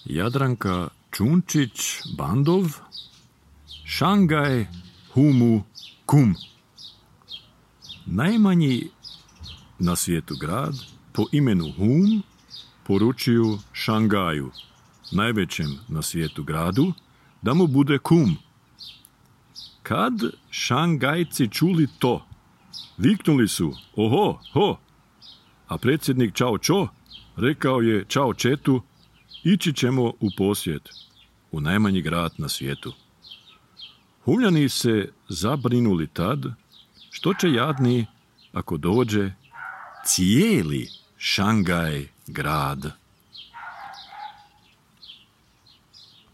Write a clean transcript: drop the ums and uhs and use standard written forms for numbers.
Jadranka Čunčić-Bandov, Šangaj Humu Kum. Najmanji na svijetu grad po imenu Hum poručuju Šangaju, najvećem na svijetu gradu, da mu bude kum. Kad Šangajci čuli to, viknuli su oho, ho, a predsjednik Čao Čo rekao je Čao Četu, ići ćemo u posjet, u najmanji grad na svijetu. Humljani se zabrinuli tad, što će jadni ako dođe cijeli Šangaj grad